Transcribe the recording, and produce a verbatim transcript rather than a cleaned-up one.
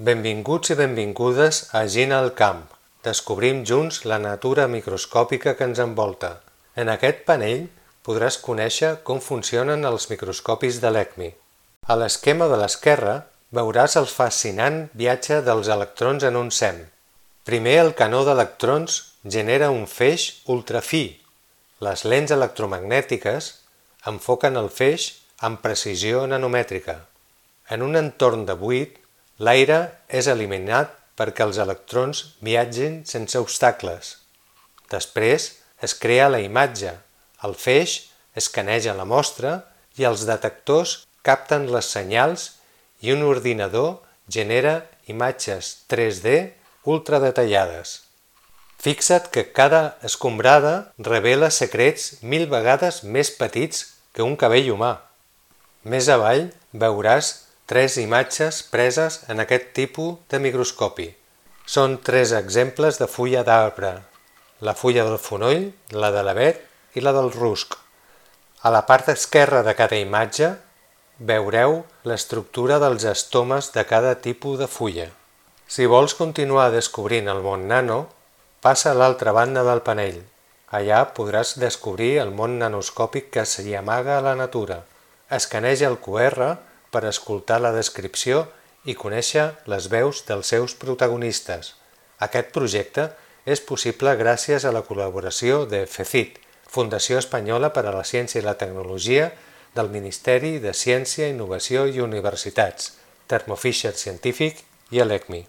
Benvinguts i benvingudes a Gina al camp. Descobrim junts la natura microscòpica que ens envolta. En aquest panell podràs conèixer com funcionen els microscopis de l'E C M I. A l'esquema de l'esquerra veuràs el fascinant viatge dels electrons en un SEM. Primer el canó d'electrons genera un feix ultrafi. Les lents electromagnètiques enfoquen el feix amb precisió nanomètrica. En un entorn de buit, l'aire és eliminat perquè els electrons viatgin sense obstacles. Després es crea la imatge, el feix escaneja la mostra i els detectors capten les senyals i un ordinador genera imatges tres D ultradetallades. Fixa't que cada escombrada revela secrets mil vegades més petits que un cabell humà. Més avall veuràs tres imatges preses en aquest tipus de microscopi. Són tres exemples de fulla d'arbre, la fulla del fonoll, la de l'avet i la del rusc. A la part esquerra de cada imatge veureu l'estructura dels estomes de cada tipus de fulla. Si vols continuar descobrint el món nano, passa a l'altra banda del panell. Allà podràs descobrir el món nanoscòpic que s'hi amaga a la natura. Escaneja el Q R per escoltar la descripció i conèixer les veus dels seus protagonistes. Aquest projecte és possible gràcies a la col·laboració de FECIT, Fundació Espanyola per a la Ciència i la Tecnologia, del Ministeri de Ciència, Innovació i Universitats, Thermo Fisher Scientific i l'E C M I.